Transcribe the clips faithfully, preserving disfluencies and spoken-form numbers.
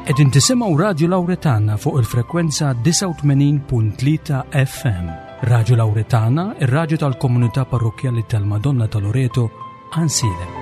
Qegħdin tisimgħu Radio Lauretana fuq il-frekwenza disgħa u tmenin punt tlieta F M. Radio Lauretana, ir-radju tal-Komunità Parrokkjali tal-Madonna ta' Loreto, Għajnsielem.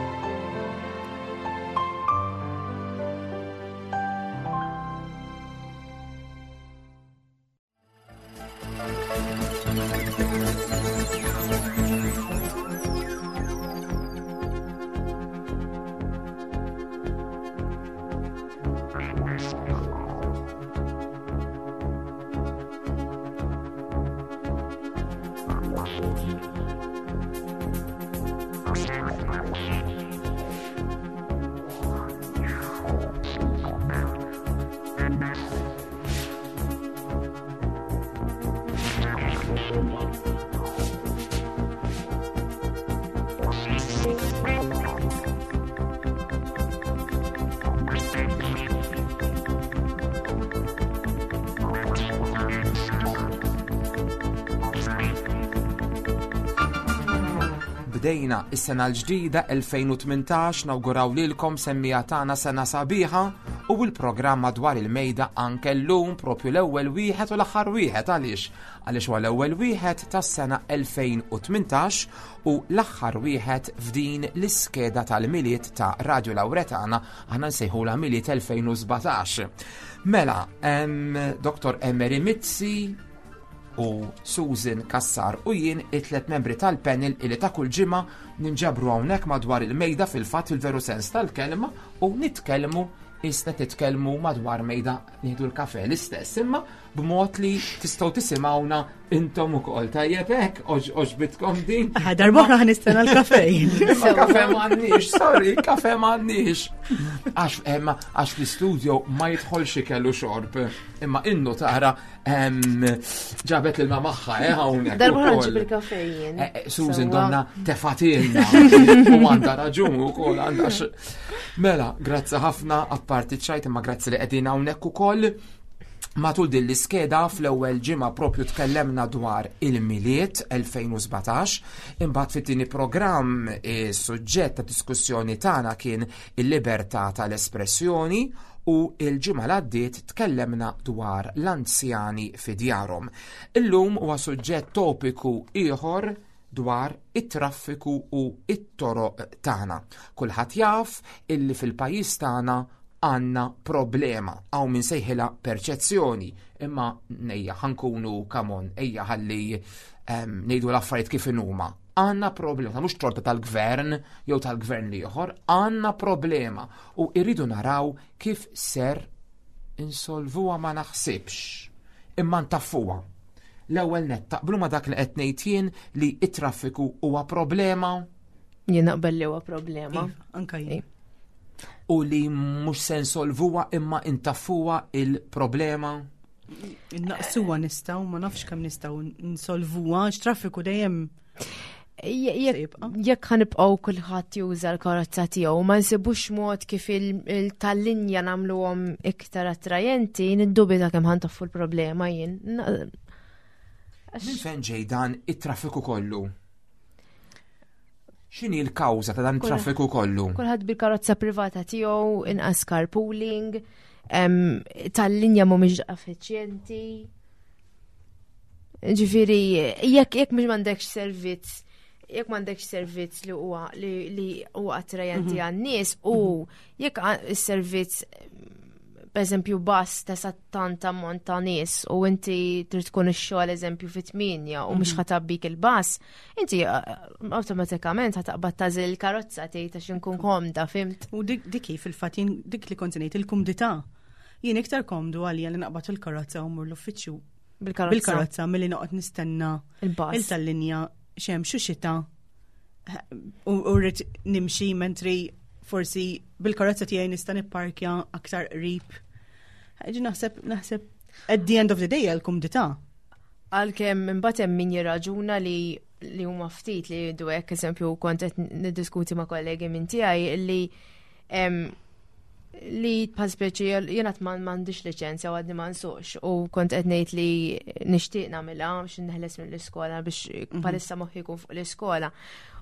Bdejna is-sena l-ġdida elfejn u tmintax, nawguraw lilkom semmiegħa tagħna sena sabiħa, u l-programm Madwar il-Mejda anke llum propju l-ewwel wieħed u l-aħħar wieħed. Għaliex? Għaliex huwa l-ewwel wieħed tas-sena elfejn u tmintax u l-aħħar wieħed f'din l-iskeda tal-Milied ta' Radio Lauretana, aħna nsejħula Milied elfejn u sbatax. Mela, em, Doktor Emery Mizzi u Susan Kassar u jien, it-tlet membri tal-panel illi ta' kull ġimgħa ninġabru hawnhekk madwar il-mejda, fil-fatt fil-veru sens tal-kelma, u nitkellmu isna titkellmu madwar mejda nieħdu l-kafe l-istess, imma b'mod li tistgħu tisimgħuna intom ukoll. Tajjeb hekk, għoġbitkom din? Ah, darb'oħra ħa nistenna l-kafe. Imma kafe m'għandniex, sorry, kafe m'għandniex. Għax emma għax fl-istudio ma jidħolx ikel u xorb. Imma innu tara em, ġabet l magħha eh hawnhekk Darb'oħra ukoll. nġib il-kafe jien. Eh, eh, Susan Sewwa. donna tefatilna u għandha raġun ukoll, għandha x- Mela, grazzi ħafna, apparti ċajt, imma grazzi li qegħdin hawnhekk ukoll. Matul din l-iskeda, fl-ewwel ġimgħa propju tkellemna dwar il-Milied elfejn u sbatax, imbagħad fit-tieni programm is-suġġett ta' diskussjoni tagħna kien il-libertà tal-espressjoni u il-ġimgħa l għaddiet tkellemna dwar l-anzjani fi djarhom. Illum huwa suġġett topiku ieħor dwar it-traffiku u it-toroq tagħna. Kulħadd jaf illi fil-pajjiż tagħna għandna problema, hawn min sejħilha perċezzjoni, imma ejja ħa nkunu, come on, ejja ħalli em, ngħidu l-affarijiet kif inhuma. Għandna problema, ta' mhux torta tal-gvern jew tal-gvern l-ieħor, għandna problema u irridu naraw kif ser insolvuha, ma naħsibx, imma ntaffuha. L-ewwel nett, taqblu ma dak li qed ngħid jien li it-traffiku huwa problema? Jien naqbel li huwa problema. Iva, anka jien. U li mhux se nsolvuha imma intaffuha il-problema? Naqsuha nistgħu, ma nafx kemm nistgħu nsolvuha, għax traffiku dejjem Je- se Jekk jibqa'. jekk ħa nibqgħu kulħadd juża l-karozza tiegħu, ma nsibux mod kif il- tal-linja nagħmluhom iktar attrajenti, niddubita kemm ħa ntaffu l-problema jien. Na- Minn fejn ġej dan it-traffiku kollu? X'inhi l-kawża ta' dan it-traffiku kollu? Kulħadd bil-karozza privata tiegħu, inqas carpooling, em, tal-linja mhumiex effiċjenti. Ġifieri, jekk jekk mhux m'għandekx servizz, jekk m'għandekx servizz li huwa li, li huwa attrajenti għan-nies u jekk għa- is-servizz, per eżempju, bus ta' tant ammont ta' nies u inti trid tkun ix-xogħol, eżempju, fit-tmienja u mhux ħa tgħabbik il-bus, inti eh, awtomatikament ħa taqbad tagħżel il-karozza, tgħid għax inkun komda, fhimt? U dik dik hi fil-fatt jien dik li kont ngħid, il-kumdità. Jien iktar komdu għalija li naqbad il-karozza u mmur l-uffiċċju Bil-karozza. bil-karozza milli noqgħod nistenna Il-bus. il-tal-linja, xemx u xita, u u rrid nimxi, mentri forsi bil-karozza tiegħi nista' nipparkja aktar qrib. Ġi naħseb naħseb at the end of the day l-kumdità. Għalkemm imbagħad hemm min jirraġuna li li huma ftit li jgħidu hekk, eżempju, kont qed niddiskuti ma' kollegi minn tiegħi li em, li bħal speċi jiena ma m'għandix liċenzja u għadni ma nsuqx u kont qed ngħid li nixtieq nagħmilha biex neħles mill-iskola, biex bħalissa moħħi jkun fuq l-iskola.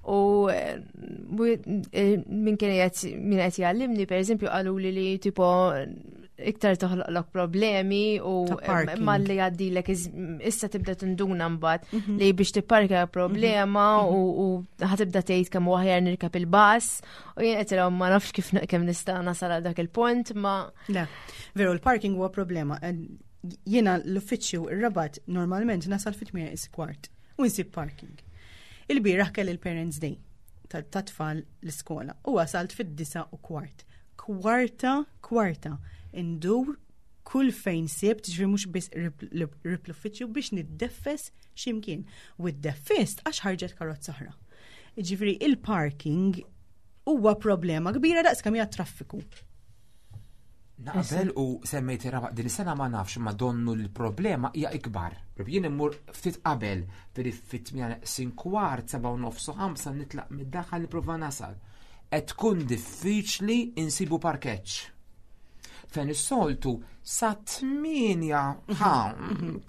U eh, u, eh, min kien qed min qed jgħallimni, pereżempju, qalu li li tipo iktar toħloqlok problemi u Ta' parking. malli jgħaddilek iż- issa tibda tinduna mbagħad li biex tipparka problema u u ħa tibda tgħid kemm huwa aħjar nirkab il-bus u jien qed ilhom ma nafx kif kemm nista' nasal għal dak il-punt ma Le, veru, il-parking huwa problema. En- Jiena l-uffiċċju ir-Rabat normalment nasal fit-tmienja is kwart u nsib parking. Il-bieraħ kelli il-Parents Day ta' ta' tfal l-iskola u wasalt fid-disa u kwart. Kwarta, kwarta, indur kull fejn sibt, ġifieri mhux biss qrib l-uffiċċju biex niddeffes ximkien. U ddeffist għax ħarġet karozza oħra. Ġifieri il-parking huwa problema kbira daqs kemm hija traffiku. Naqbel u semmejt ir-Rabat din is-sena, ma nafx, ma donnu l-problema hija ikbar. Jien immur ftit qabel, firi fit-tmienja neqsin kwart, seba' u nofs u ħamsa nitlaq mid-daħal li prova nasal. Qed tkun diffiċli insibu parkeġġ. Fejn is-soltu sa tmienja ħa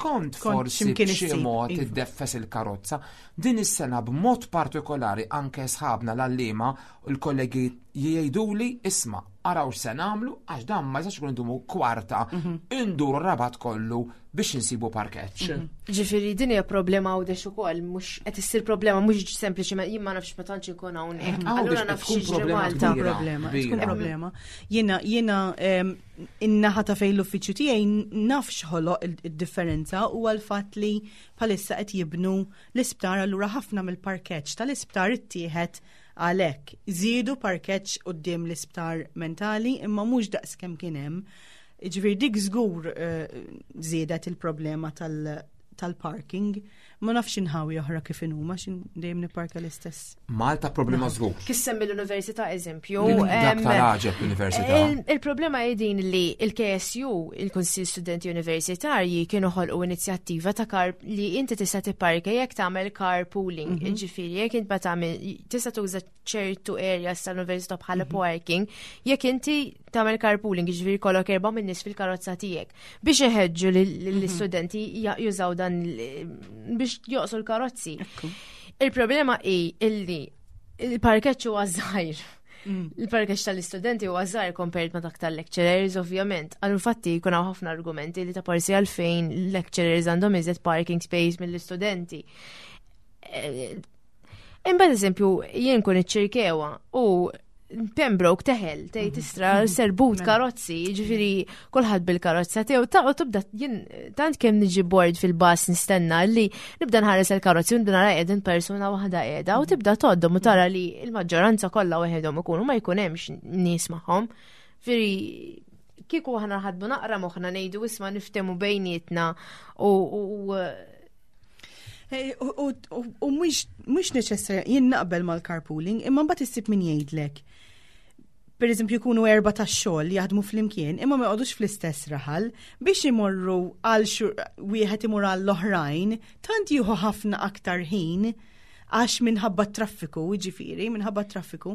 kont forsi x'imkien b'xi issib, mod iva. iddeffes il-karozza. Din is-sena b'mod partikolari anke sħabna l-għalliema u l-kollegi jgħiduli, "Isma', araw x'se nagħmlu għax dan ma jistax ikun indumu kwarta induru Rabat kollu biex insibu parkeġġ." Ġifieri din hija problema Għawdex ukoll, mhux qed issir problema mhux sempliċement, jien ma nafx, ma tantx inkun hawnhekk. Għawdex Allura qed naf tkun x'jiġri problema Malta. kbira. Problema, tkun Kbira. problema. Jiena jiena em, in-naħa ta' fejn l-uffiċċju tiegħi naf x'ħoloq il- id-differenza u għal-fatt li bħalissa qed jibnu l-isptar, allura ħafna mill-parkeġġ tal-isptar ittieħed għalhekk. Żiedu parkeġġ quddiem l-isptar mentali imma mhux daqs kemm kien hemm. Ġifieri dik żgur eh, żiedet il-problema tal- tal-parking. Ma nafx inħawi oħra kif inhuma x'in dejjem nipparka l-istess. Malta problema żgur. Kif semmi l-università eżempju. Dik- Dak em, tal-għaġeb l-università. Il- Il-problema hi din li il-K S U, il-Kunsill Studenti Universitarji, kienu ħolqu inizjattiva ta' car li inti tista' tipparka jekk tagħmel carpooling. Ġifieri jekk int ma tagħmel, tista' tuża ċertu areas tal-università bħala parking jekk inti tagħmel carpooling, ġifieri kollok erba' minn nies fil-karozza tiegħek biex iħeġġu lill-istudenti jużaw dan il- biex joqsu l-karozzi. Il-problema hi illi il-parkeġġ huwa żgħir. Il-parkeġġ tal-istudenti huwa żgħir compared ma' dak tal-lecturers, ovvjament. Għal infatti jkun hawn ħafna argumenti li ta' parsi għalfejn lecturers għandhom iżjed parking space mill-istudenti. Eh, Imbagħad eżempju jien kun iċ-Ċirkewwa u Pembroke teħel, tgħid istra serbut karozzi, ġifieri kulħadd bil-karozza tiegħu ta' u tibda jien tant kemm niġi bored fil-bus nistenna li nibda nħares il-karozzi u nibda nara qegħdin persuna waħda qiegħda u tibda tgħoddhom u tara li l-maġġoranza kollha waħedhom ikunu, ma jkun hemmx nies magħhom. Ġifieri kieku aħna ħadbu naqra moħħna, ngħidu isma' niftemu bejnietna u u Eh, U u- u mhux mhux neċessarja, jien naqbel mal-carpooling, imma mbagħad issib min jgħidlek. Per eżempju jkunu erba ta' xogħol jaħdmu flimkien, imma ma jqogħdux fl-istess raħal biex imorru għal xur wieħed imur għall oħrajn, tant jieħu ħafna aktar ħin għax minħabba traffiku, ġifieri, minħabba traffiku,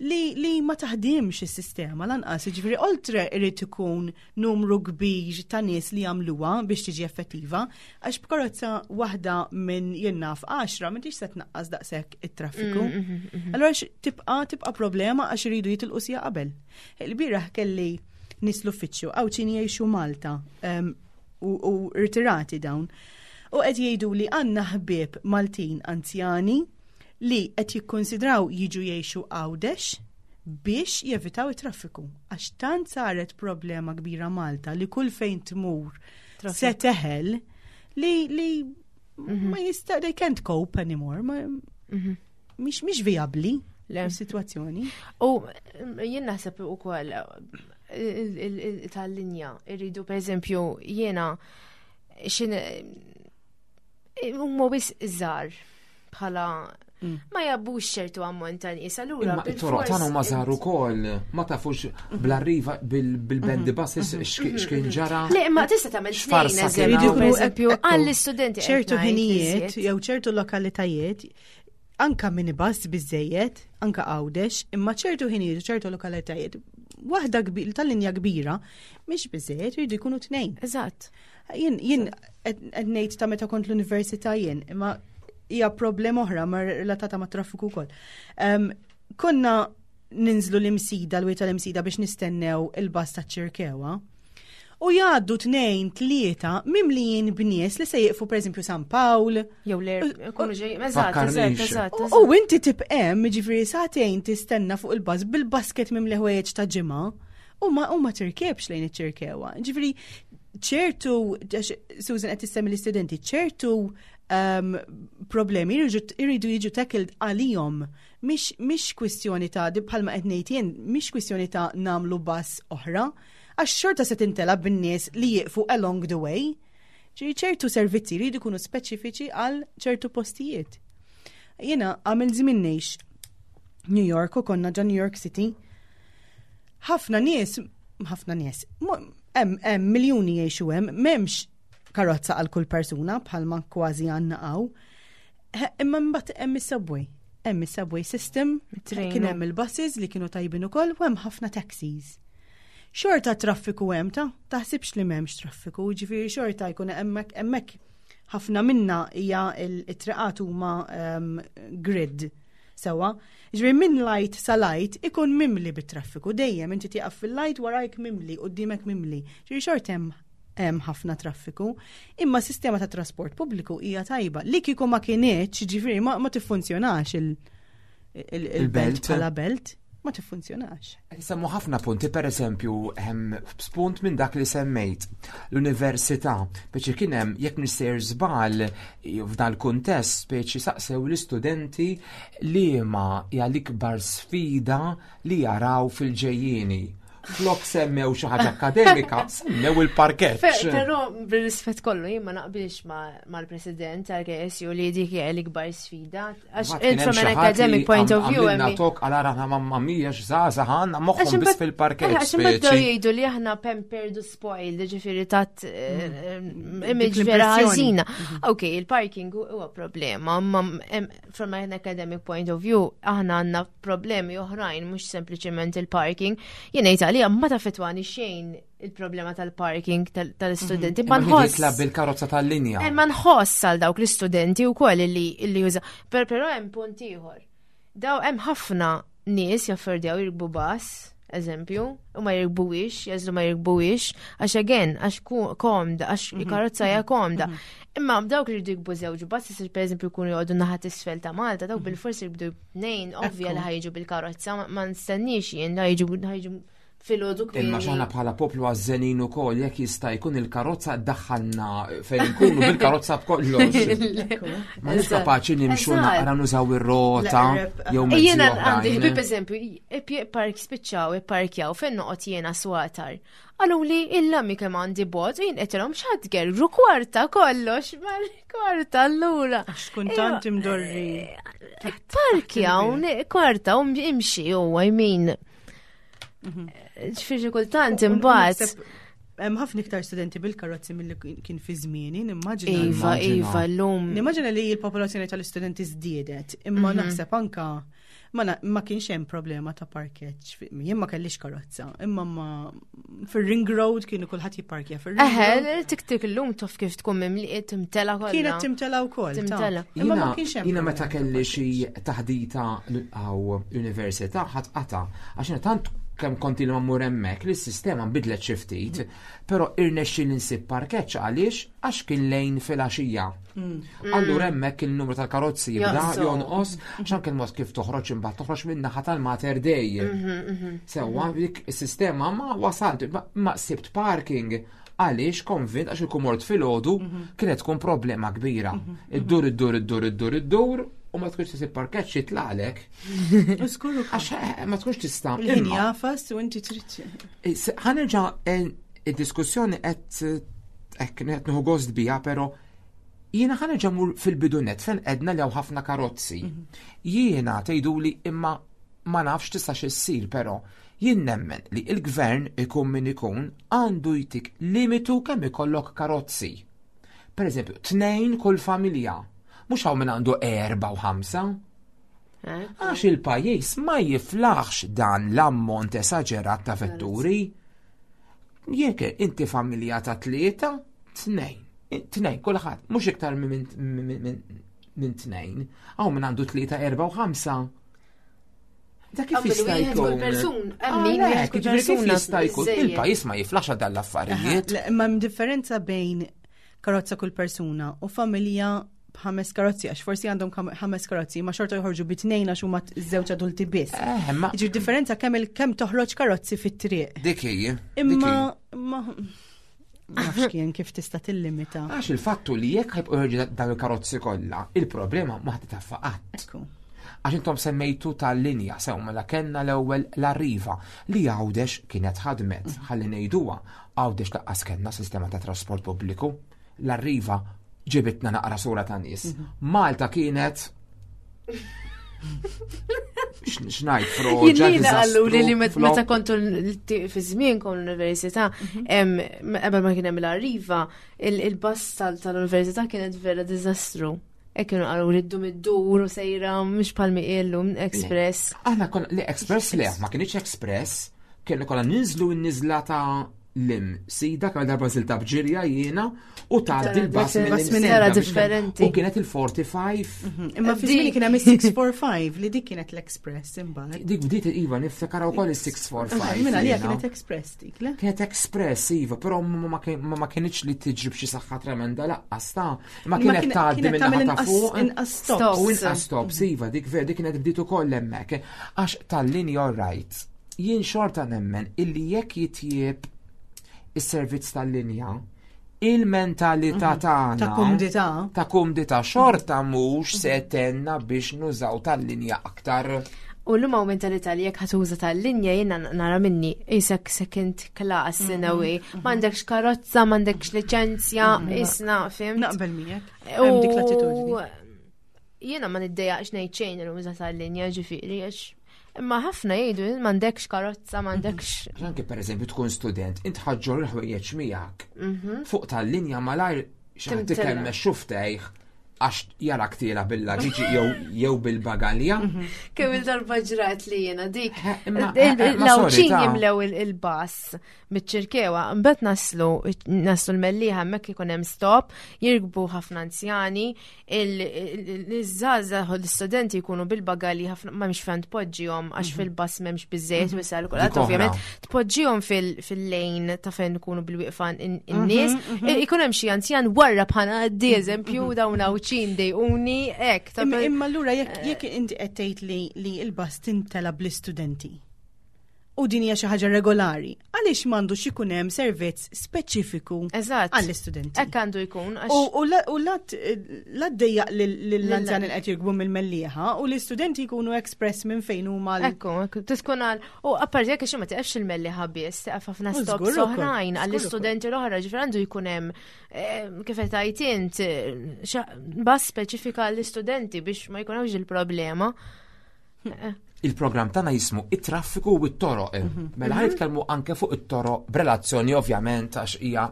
li, li ma taħdimx is-sistema lanqas, ġifieri, oltre irid ikun numru kbir ta' nies li jagħmluha biex tiġi effettiva, għax b'karozza waħda minn jien naf għaxra m'intix se tnaqqas daqshekk it-traffiku. Allora x- tibqa' tibqa' problema għax iridu jitilqu siegħa qabel. Il-bieraħ kelli nies l-uffiċċju Għawdxin jgħixu Malta em, u, u irtirati dawn. U qed jgħidu li għandna ħbieb Maltin anzjani li qed jikkonsidraw jiġu jgħixu Għawdex biex jevitaw it-traffiku. Għax tant saret problema kbira Malta li kull fejn tmur se teħel li li ma jista' they can't cope anymore. Ma, mhix mhix vijabbli Le. is-sitwazzjoni. U mm, jien naħseb ukoll il- il- il- tal-linja irridu, per eżempju, jiena xin huma wisq żgħar bħala ma jgħabbux ċertu ammont ta' nies, allura Imma it-toroq tagħna huma żgħar ukoll, ma tafux bl-arriva bil-bendy buses x'kien ġara. Le, imma tista' tagħmel X'farsa tnejn kien eżempju, hawn. per eżempju, Ekku, għall-istudenti qed ċertu ngħid ħinijiet iżjed. jew ċertu lokalitajiet, anka minibus biżejjed, anka Għawdex, imma ċertu ħinijiet u ċertu lokalitajiet waħda kbir tal-linja kbira mhix biżejjed, jridu jkunu tnejn. Eżatt. Jien jien qed qed ngħid ta' meta kont l-università jien, imma hija problema oħra ma relatata ma' traffiku wkoll. Em, Konna ninżlu l-Imsida, l-Wied tal-Imsida biex nistennew il-bus ta' Ċirkewa. U jgħaddu tnejn, tlieta mimlijin b'nies li se jieqfu, pereżempju, San Pawl. Jew le, ikunu ġej, eżatt, eżatt, eżatt. U inti tibqa' hemm, ġifieri, sagħtejn tistenna fuq il-bus bil-basket mimli ħwejjeġ ta' ġimgħa u ma u ma tirkebx lejn iċ-Ċirkewwa. Ġifieri ċertu, Susan qed tissemmi l-istudenti, ċertu um, problemi irridu jiġu tackled għalihom. Mhix kwistjoni ta' bħalma qed ngħid jien, mhix kwistjoni ta' nagħmlu bus oħra, għax xorta se tintela bin-nies li jieqfu along the way. Ġifieri ċertu servizzi jridu jkunu speċifiċi għal ċertu postijiet. Jiena għamil żmien ngħix New York u konna ġo New York City. Ħafna nies, ħafna nies, hemm hemm miljuni jgħixu hemm, m'hemmx karozza għal kull persuna bħalma kważi għandna hawn. Imma mbagħad hemm is-subway. Hemm is-subway system, kien hemm il-buses li kienu tajbin ukoll u hemm ħafna taxis. Xorta traffiku hemm, ta' taħsibx li m'hemmx traffiku, ġifieri xorta jkun hemmhekk hemmhekk ħafna minna hija il-triqat huma um, grid sewa. Ġifieri minn light sa light ikun mimli bit-traffiku dejjem, inti tieqaf fil-light, warajk mimli, quddiemek mimli. Ġifieri xorta hemm hemm ħafna traffiku, imma sistema ta' trasport pubbliku hija tajba. Li kieku ma kinitx, ġifieri ma, ma tiffunzjonax il-belt bħala belt, ma tiffunzjonax. Semmu ħafna punti, per eżempju, spunt minn dak li semmejt, l-università, speċi kien hemm, jekk nisser żball f'dal kuntest, speċi saqsew l-istudenti li ma hija l-ikbar sfida li jaraw fil-ġejjieni. Flok semmew xi ħaġa akademika, semmew il-parkeġġ. Però bil-rispett kollu, jien ma naqbilx mal-president tal-K S U li dik hija l-ikbar sfida. Għax from an academic point of view. Għamilna tok għal aħna mamma mia x'żgħażagħ għandna, moħħhom biss fil-parkeġġ. Għax imbagħad jgħidu li aħna pampered u spoiled, ġifieri tat eh, image vera ħażina. Ok, il-parking huwa problema, ma from an academic point of view aħna għandna problemi oħrajn, mhux sempliċement il-parking. Jien ngħid għalija ma taffettwani xejn il-problema tal-parking tal-istudenti. Ma nħoss. Bil-karozza tal-linja. Eh, ma nħoss għal dawk l-istudenti u koll li juża. Però hemm punt ieħor. Daw hemm ħafna nies jaffordjaw jirkbu bus, eżempju, u ma jirkbuwix, jagħżlu ma jirkbuwix, għax again, għax komda, għax mhm. karozza hija komda. Mhm. Imma dawk li jridu jirkbu żewġ bus, per eżempju, jkunu joqogħdu naħa t'isfel ta' Malta, dawk mhm. bil-forsi jirkbu tnejn, ovvja li ħa jiġu bil-karozza, ma nistenniex jien ħa jiġu filgħodu. Imma xaħna bħala poplu għazzenin u kol, jekk jista' jkun il-karozza daħħalna fejn nkunu bil-karozza b'kollox. Ma nix kapaċi nimxu naqra, nużaw ir-rota jew mezzi. Jiena għandi ħbib, eżempju, park spiċċaw ipparkjaw fejn noqgħod jiena, Swatar. Qalu li illa mi kemm għandi bot, jien qedilhom x'ħadd gerru kwarta kollox, ma kwarta allura. Għax tkun tant imdorri. Parkjaw kwarta u imxi u I mean. Ġifieri kultant imbagħad. Hemm ħafna iktar studenti bil-karozzi milli kien fi żmieni, nimmaġina. Iva, iva, llum. Nimmaġina li l-popolazzjoni tal-istudenti żdiedet, imma mhm. naħseb anka ma, ma kienx hemm problema ta' parkeġġ. Jien ma kellix karozza, imma ma fir-ring road kienu kulħadd jipparkja fir-ring. Eħe, tik tik illum taf kif tkun mimli, timtela kollha. Kienet timtela wkoll. Timtela. Imma ma kienx hemm. Jiena meta kelli xi taħdita għaw università ħadd qata' għax tant kemm konti li mmur hemmhekk li s-sistema nbidlet xi ftit, però irnexxi li nsib parkeġġ. Għaliex? Għax kien lejn filgħaxija. Mm. Allura hemmhekk il-numru tal-karozzi jibda jonqos, għax anke il-mod kif toħroġ, imbagħad toħroġ minn naħa tal-Mater Dei. Mhm, mhm. Sewwa dik is-sistema ma wasalt, ma sibt parking għaliex konvint għax il-kumort filgħodu mhm. kienet tkun problema kbira. Iddur, iddur, iddur, iddur, iddur u ma tkunx tisib parkeġġ jitlaqlek. Għax eh, ma tkunx tista'. Il-ħin jafas u inti trid. Eh, ħa nerġa' eh, id-diskussjoni qed hekk qed nieħu gost biha, però jiena ħa nerġa' mur fil-bidunet fejn edna li hawn ħafna karozzi. Mhm. Jiena tgħiduli imma ma nafx tistax issir, però jien nemmen li il-gvern, ikun min ikun, għandu jtik limitu kemm ikollok karozzi. Per eżempju, tnejn kull familja. Mhux hawn min għandu erba u ħamsa. Eh? Għax il-pajjiż ma jiflaħx dan l-ammont esaġerat ta' vetturi. Jekk inti familja ta' tlieta, tnejn. Tnejn, kulħadd, mhux iktar minn minn tnejn. Hawn min għandu tlieta, erba u ħamsa. Da kif jista' jkun? Persun, min wieħed kull persuna. Jista' jkun il-pajjiż ma jiflax dan l-affarijiet. Imma hemm differenza bejn karozza kull persuna u familja b'ħames karozzi, għax forsi għandhom ħames karozzi, ma xorta joħorġu bi tnejn għax huma żewġ adulti biss. Eh, Jiġri differenza kemm kemm toħroġ karozzi fit-triq. Dik hi. Imma ma nafx kien kif tista' tillimita. Għax il-fattu li jekk ħajbqgħu joħorġu dawn il-karozzi kollha, il-problema ma ħadd taffa qatt. Għax intom semmejtu tal-linja sew mela kellna l-ewwel l-Arriva li Għawdex kienet ħadmet, ħalli ngħiduha, Għawdex laqqas kellna sistema ta' trasport pubbliku. L-Arriva ġibitna naqra sura ta' nies. Malta kienet xnajt froġa. Jiena qallu li li meta kontu fi żmien kon l-università, qabel ma kien hemm l-Arriva, il-bus tal-università kienet vera diżastru. E kienu qalu li ddum iddur u sejra mhux bħal illum express. Aħna kon li express le, ma kienx express, kienu kollha ninżlu n-niżla ta' lim sida kemm darba żilta b'ġirja jiena u tgħaddi l-bus minn Era differenti. U kienet il-forty-five. Imma fi żmien kien hemm is-six four five li dik kienet l-express imbagħad. Dik bdiet iva niftakar ukoll is-six four five. Minna li kienet express dik, le? Kienet express iva, però ma kienx li tiġri b'xi saħħa tremenda laqqas ta' ma kienet tgħaddi minn ta' fuq. Inqas stops. U inqas stops iva, dik vera dik kienet bdiet ukoll hemmhekk. Għax tal-linja right. Jien xorta nemmen illi jekk jitjieb is-servizz tal-linja, il-mentalità tagħna ta' kumdità ta' kumdità xorta mhux se tenna biex nużaw tal-linja aktar. U l-lum hawn mentalità li jekk ħatuża tal-linja jiena nara minni isek second class in a way, m'għandekx karozza, m'għandekx liċenzja, isna, fimt? Naqbel miegħek. Hemm dik l-attitudni. Jiena ma niddejjaqx ngħid xejn l-uża tal-linja, ġifieri għax imma ħafna jgħidu m'għandekx karozza, m'għandekx. Anke pereżempju tkun student, int ħaġġor il-ħwejjeġ miegħek. Fuq tal-linja malajr xi ħadd ikemmex xuftejh għax jarak tiela bil-lagiġi jew bil-bagalja. Kemm il-darba ġrat li jiena dik. L-Għawdxin jimlew il-bus miċ-Ċirkewa, mbagħad naslu naslu l-Mellieħa hemmhekk ikun hemm stop, jirkbu ħafna anzjani, iż-żgħażagħ u l-istudenti jkunu bil-bagalji ħafna ma mhix fejn tpoġġihom għax fil-bus m'hemmx biżejjed wisal kulħadd ovvjament tpoġġihom fil-lejn ta' fejn ikunu bil-wieqfa in-nies, ikun hemm xi anzjan warra bħala għaddi eżempju dawn Għawdxin dejquni hekk. Imma allura jekk inti qed tgħid li l-bus tintela bl-istudenti u din hija xi ħaġa regolari, għaliex m'għandux ikun hemm servizz speċifiku għall-istudenti? Hekk għandu jkun. U la ddejjaq lill-anzjani li qed jirkbu mill-Mellieħa u l-istudenti jkunu express minn fejn huma. Ekku, tkun għal. U apparti jekk ma tiqafx il-Mellieħa biss, tiqaf ħafna stops oħrajn għall-istudenti l-oħra, ġifier għandu jkun hemm kif qed tgħid int bus speċifika għall-istudenti biex ma jkunx il-problema. Il-programm tagħna jismu it-traffiku u t-toroq. Mela ħa nitkellmu anke fuq it-toroq b'relazzjoni ovvjament għax hija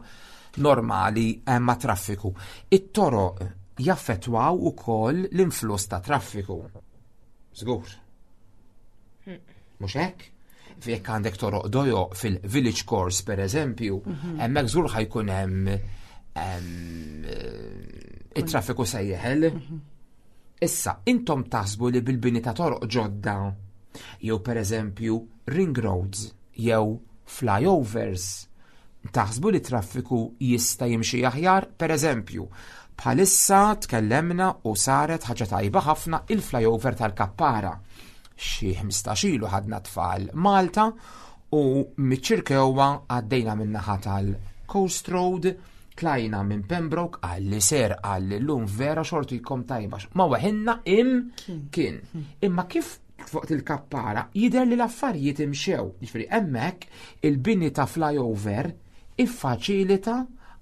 normali ma' traffiku. It-toroq jaffettwaw ukoll l-influss ta' traffiku. Żgur. Mhux hekk? Jekk għandek toroq dojo fil-village course pereżempju, hemmhekk żgur ħajkun hemm it-traffiku se jeħel. Issa, intom taħsbu li bil-bini ta' toroq ġodda, jew pereżempju ring roads, jew flyovers, taħsbu li traffiku jista' jimxi aħjar? Pereżempju, bħalissa tkellemna u saret ħaġa tajba ħafna il-flyover tal-Kappara. Xi ħmistax ilu ħadna tfal Malta u miċ-Ċirkewwa għaddejna min-naħa tal-Coast Road, tlajna minn Pembroke għalli ser għalli l-lum vera xortu jkom tajba. Ma weħinna im kien. Imma kif fuq il-Kappara jidher li l-affarijiet imxew. Jiġifieri hemmhekk il-bini ta' flyover iffaċilita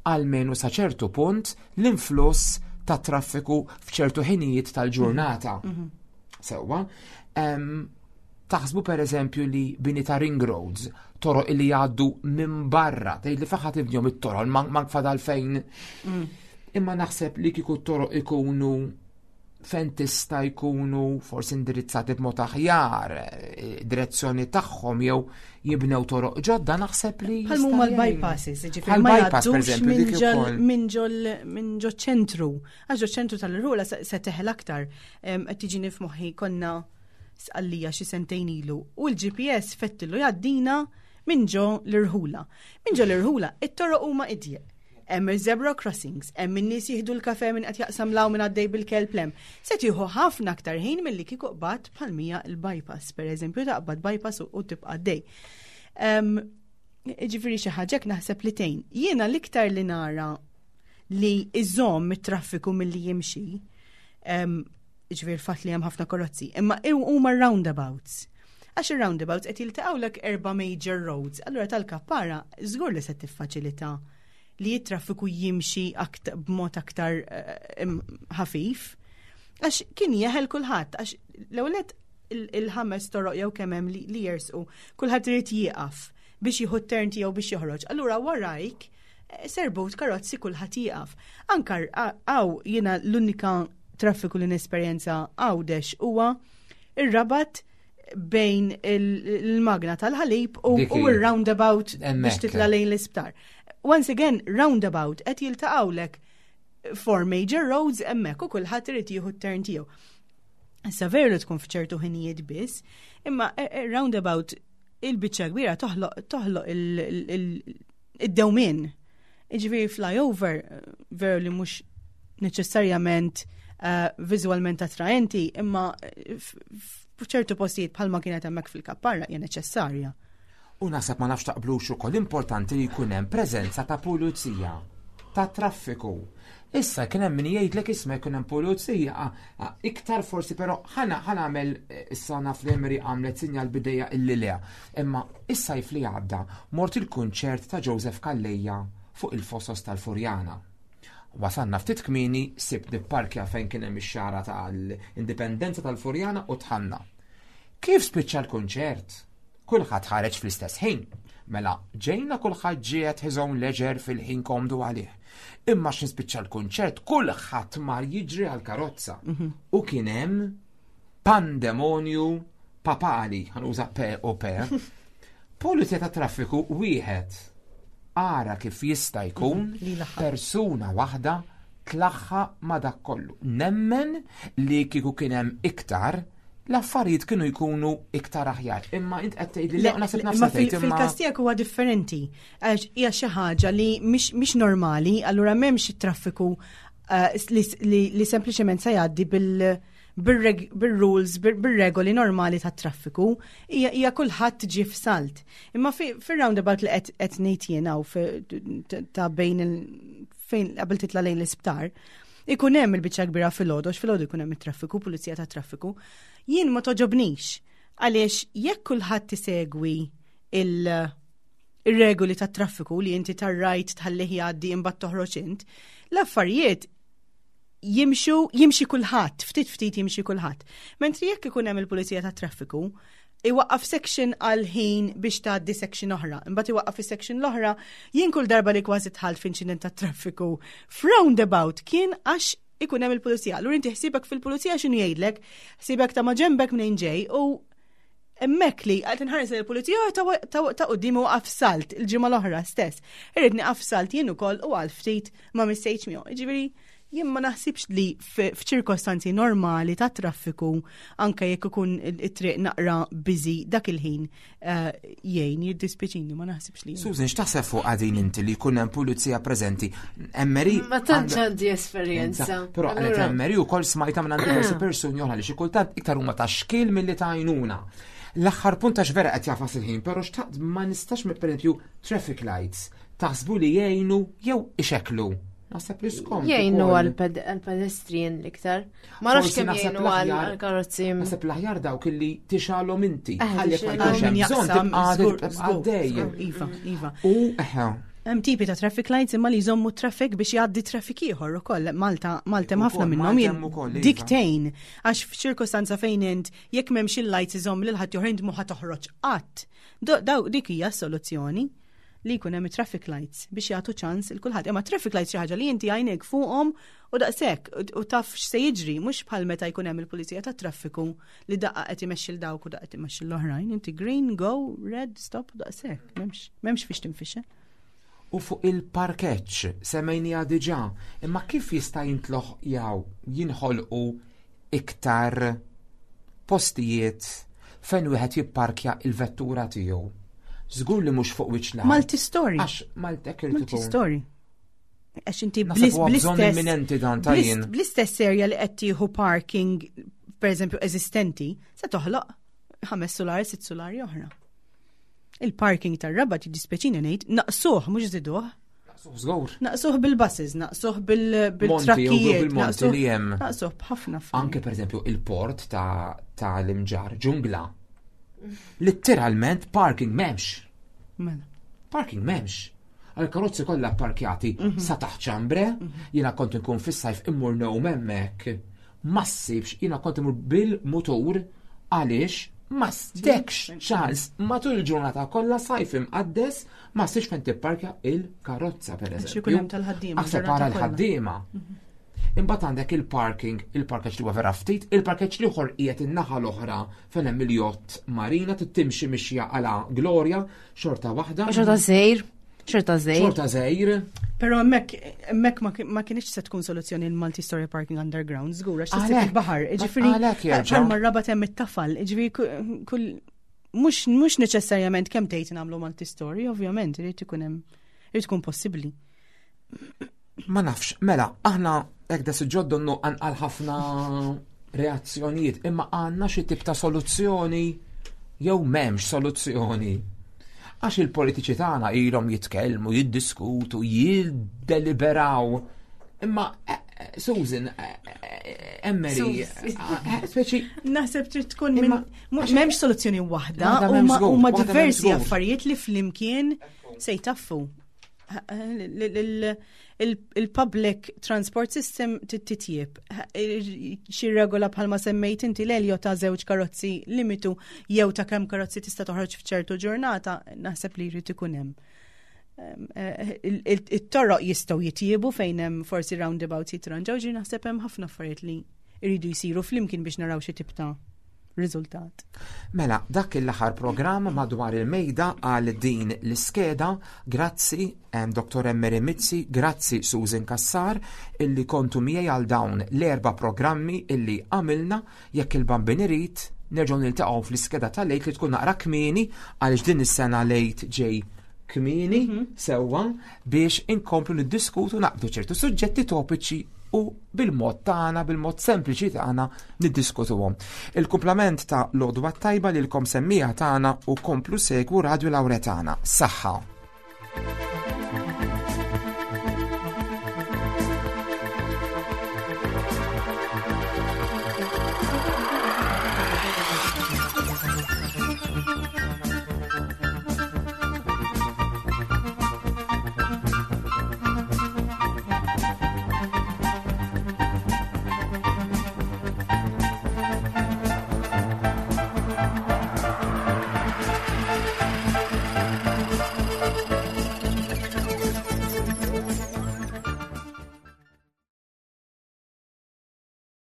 għalmenu sa ċertu punt l-influss ta' traffiku f'ċertu ħinijiet tal-ġurnata. Sewwa, taħsbu per eżempju li bini ta' ring roads, toroq li jgħaddu minn barra, tgħid li faħat ibnihom it-toroq, ma fadal fejn. Imma naħseb li kieku t-toroq ikunu fejn tista' jkunu forsi indirizzati b'mod aħjar, direzzjoni tagħhom jew jibnew toroq ġodda, naħseb li bħal huma l-bypasses, jiġifieri ma jgħaddux minn ġo ċentru. Għax ġo ċentru tal-Rula se teħel aktar. Qed tiġini f'moħħi konna Sqallija xi sentejn ilu u l-G P S fettillu jgħaddina minn ġo l-irħula. Minn ġo l-irħula, it-toroq huma idjeq. Hemm il-zebra crossings, hemm in-nies jieħdu l-kafe, minn qed jaqsam 'l hawn, minn għaddej bil-kelb 'l hemm. Se tieħu ħafna aktar ħin milli kieku qbad bħal-mija il-bypass, per eżempju, taqbad bypass u tibqa' għaddej. Ġifieri xi ħaġa naħseb li tgħin. Jiena l-iktar li nara li iżomm it-traffiku milli jimxi, ġifieri fatt li hemm ħafna karozzi, imma huma roundabouts. Għax il-roundabouts qed jiltaqgħu erba' major roads, allura tal-Kappara żgur li se tiffaċilita li t-traffiku jimxi b'mod aktar eh, ħafif. Għax kien jeħel kulħadd, għax l-ewwel il-ħames toroq jew kemm hemm li jersqu, kulħadd irid jieqaf biex jieħu turn tiegħu biex joħroġ. Allura warajk eh, serbut karozzi, kulħadd jieqaf. Anka hawn jiena l-unika traffiku li nesperjenza Għawdex huwa ir-Rabat bejn il-magna tal-ħalib u il-roundabout biex titla lejn l-isptar. Once again, roundabout qed jiltaqgħulek four major roads hemmhekk u kulħadd irid jieħu t-turn tiegħu. Issa veru li tkun f'ċertu ħinijiet biss, imma eh, eh, roundabout il-biċċa kbira toħloq id-dewmien. Ġifieri flyover veru li mhux neċessarjament uh, viżwalment attraenti, imma f'ċertu postijiet bħalma kienet hemmhekk fil-Kapparra hija neċessarja. U naħseb, ma nafx taqblux ukoll, importanti li jkun hemm preżenza ta' pulizija ta' traffiku. Issa kien hemm min jgħidlek, isma', jkun hemm pulizija iktar forsi, però ħana ħa nagħmel eh, issa naf li Emery għamlet sinjal b'idejha illi le. Imma is-sajf li għadda mort il-kunċert ta' Joseph Calleja fuq il-Fosos tal-Furjana. Wasanna ftit kmieni, sibt nipparkja fejn kien hemm ix-xara tal-Indipendenza tal-Furjana u dħalna. Kif spiċċa l-kunċert? Kulħadd ħareġ fl-istess ħin. Mela, ġejna kulħadd ġiet his own leisure fil-ħin komdu għalih. Imma x'ħin spiċċa l-kunċert, kulħadd mar jiġri għal-karozza. Mhm. U kien hemm pandemonju papali, ħa nuża P u P. Pulizija ta' traffiku wieħed. Ara kif jista' jkun mhm, persuna waħda tlaħħaq ma' dak kollu. Nemmen li kieku kien hemm iktar, l-affarijiet kienu jkunu iktar aħjar. Imma int qed tgħidli li naħseb nafsa. Fil-każ tiegħek huwa differenti. Għax hija xi ħaġa li mhix normali, allura m'hemmx traffiku eh, li sempliċement se jgħaddi bil- bil-rules, bil-regoli normali ta' traffiku, hija kulħadd ġie f'salt. Imma fil-roundabout li qed ngħid jiena u ta' bejn fejn qabel titla' lejn l-isptar, ikun hemm il-biċċa kbira filgħodu, filgħodu jkun hemm it-traffiku, pulizija ta' traffiku. Jien ma togħġobnix għaliex jekk kulħadd tisegwi il- ir-regoli ta' traffiku li inti tar-right tħallih jgħaddi, imbagħad toħroġ int, l-affarijiet jimxu, jimxi kulħadd, ftit ftit jimxi kulħadd. Mentri jekk ikun hemm il-pulizija ta' traffiku, iwaqqaf section għal ħin biex tgħaddi section oħra. Imbagħad iwaqqaf is-section l-oħra, jien kull darba li kważi dħalt f'inċident ta' traffiku f'roundabout kien għax ikun hemm il-pulizija. Allura inti ħsibek fil-pulizija x'inhu jgħidlek, ħsibek ta' maġembek minn ġej u hemmhekk li qed inħares il-pulizija ta' quddiem u salt il-ġimgħa l-oħra stess. Irrid nieqaf salt jien ukoll u għal ftit ma missejtx miegħu. Ġifieri jien ma naħsibx li f'ċirkostanzi normali ta' traffiku, anke jekk ikun it-triq naqra busy dak il-ħin, eh, jgħin, jiddispjaċini, ma naħsibx li. Susan, x'taħseb fuq għadin inti li jkun hemm pulizija preżenti? Emmeri. Ma tantx għandi esperjenza. Però għalet Emmeri ukoll smajta minn diversi persuni oħra li xi kultant iktar huma ta' xkil milli ta' għajnuna. L-aħħar punt, għax vera qed jagħfas il-ħin, però xtaqt ma nistax, per traffic lights, taħsbu li jgħinu jew ixeklu? Naħseb li skom. Jgħinu għal-pedestrian l-iktar. Ma nafx kemm jgħinu għal-karozzi. Naħseb l-aħjar dawk illi tixgħelhom inti. Eh, ħalli ma jkunx hemm bżonn tibqa' għaddej. Iva, iva. U eħe. Hemm tipi ta' traffic lights imma li jżommu traffic biex jgħaddi traffic ieħor ukoll. Malta Malta hemm ħafna minnhom. Dik tgħin għax f'ċirkostanza fejn int jekk m'hemmx il-lights iżomm lil ħadd ieħor, int mhu toħroġ qatt. Daw dik hija s-soluzzjoni, li jkun hemm traffic lights biex jagħtu ċans il kulħadd. Imma traffic lights xi ħaġa li inti għajnek fuqhom u daqshekk u taf x'se jiġri, mhux bħal meta jkun hemm il-pulizija tat traffiku li daqqa qed imexxi l dawk u daqqa qed imexxi l-oħrajn. Inti green, go, red, stop, daqshekk. M'hemmx m'hemmx fiex tinfixel. U fuq il-parkeġġ semmejnieha diġà, imma kif jista' jintloħ jew jinħolqu iktar postijiet fejn wieħed jipparkja il-vettura tiegħu. Żgur li mhux fuq wiċċ l-art. Multi-story. Għax Maltek irid ikun. Multi-story. Għax inti Naħseb bl- huwa bżonn bl-istess imminenti dan ta' jien. bl-istess area li qed tieħu parking, per eżempju, eżistenti, se toħloq ħames solari, sitt solari oħra. Il-parking tar-Rabat, jiddispjaċini ngħid, naqsuh mhux żiduh. Żgur. Naqsuh bil-buses, naqsuh bil- Monti, jew bil-trakkijiet, bil-monti naqsuh li hemm. naqsuh b'ħafna affarijiet. Anke per eżempju il-port ta' ta' l-Imġarr, ġungla. Letteralment parking m'hemmx. Mela. Parking m'hemmx. Għal-karozzi kollha parkjati sa taħt ċambre, jiena kont nkun fis-sajf immur ngħum hemmhekk. Ma ssibx, jiena kont immur bil-mutur għaliex ma stekx ċans matul il-ġurnata kollha sajf imqaddes ma ssibx fejn tipparkja il-karozza per Għax eżempju. ikun hemm tal-ħaddiema Aħseb l-ġurnata para kollha. l-ħaddiema. Imbagħad għandek il-parking, il-parkeġġ li huwa vera ftit, il-parkeġġ l-ieħor qiegħed in-naħa l-oħra fejn hemm il-jott marina trid timxi mixja għala Gloria, xorta waħda. Xorta żgħir, xorta żgħir. Xorta żgħir. Pero hemmhekk hemmhekk ma kien- ma kienx se tkun soluzzjoni il-multi-story parking underground, żgur, għax tisib Għalhekk. il-baħar. Ġifieri, Għalhekk jerġa'. bħalma r-Rabat hemm it-tafal, ġifieri ku- kull mhux mhux neċessarjament kemm tgħid nagħmlu multi-story, ovvjament, irid ikun hemm irid ikun possibbli. Ma nafx, mela, aħna hekk da suġġett donnu għal ħafna reazzjonijiet, imma għandna xi tip ta' soluzzjoni jew m'hemmx soluzzjoni. Għax il-politiċi tagħna ilhom jitkellmu, jiddiskutu, jiddeliberaw. Imma eh, eh, Susan, eh, eh, Emery, eh, speċi Naħseb trid tkun minn Imma- mhu- m'hemmx soluzzjoni waħda, Waħda m'hemmx huma żgur, huma waħda m'hemmx diversi żgur. affarijiet li flimkien se jtaffu. Il-public transport system titjib. Xi regola bħalma semmejt inti l ta' żewġ karozzi limitu jew ta' kemm karozzi tista' toħroġ f'ċertu ġurnata, naħseb li jrid ikun hemm. Em, eh, il- il- It-toroq jistgħu jitjiebu fejn hemm forsi roundabouts jitranġaw, ġi naħseb hemm ħafna affarijiet li jridu jsiru flimkien biex naraw xi tip ta' riżultat. Mela, dak l-aħħar programm madwar il-mejda għal din l-iskeda. Grazzi em, Dottor Emery Mizzi, grazzi Susan Cassar, illi kontu miegħi għal dawn l-erba programmi illi għamilna. Jekk il-Bambin irid, nerġgħu niltaqgħu fl-iskeda tal-Għid li tkun naqra kmieni għaliex din is-sena l-Għid ġej kmieni sewwa biex inkomplu niddiskutu naqbdu ċertu suġġetti topiċi u bil-mod tagħna, bil-mod sempliċi tagħna niddiskutuhom. Il-kumplament ta' l-għodwa tajba lilkom semmiegħa tagħna u komplu segwu Radio Lauretana. Saħħa.